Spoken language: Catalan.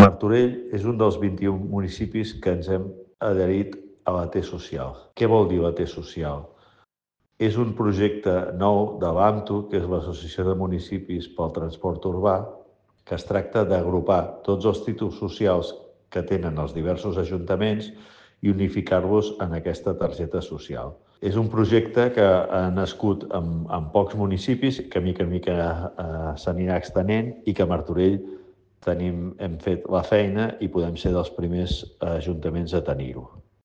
Martorell és un dels 21 municipis que ens hem adherit a la T-Social. Què vol dir la T-Social? És un projecte nou de l'AMTU, que és l'Associació de Municipis pel Transport Urbà, que es tracta d'agrupar tots els títols socials que tenen els diversos ajuntaments i unificar-los en aquesta targeta social. És un projecte que ha nascut en pocs municipis, que mica en mica s'anirà extenent i que a Martorell hem fet la feina i podem ser dels primers ajuntaments a tenir-ho.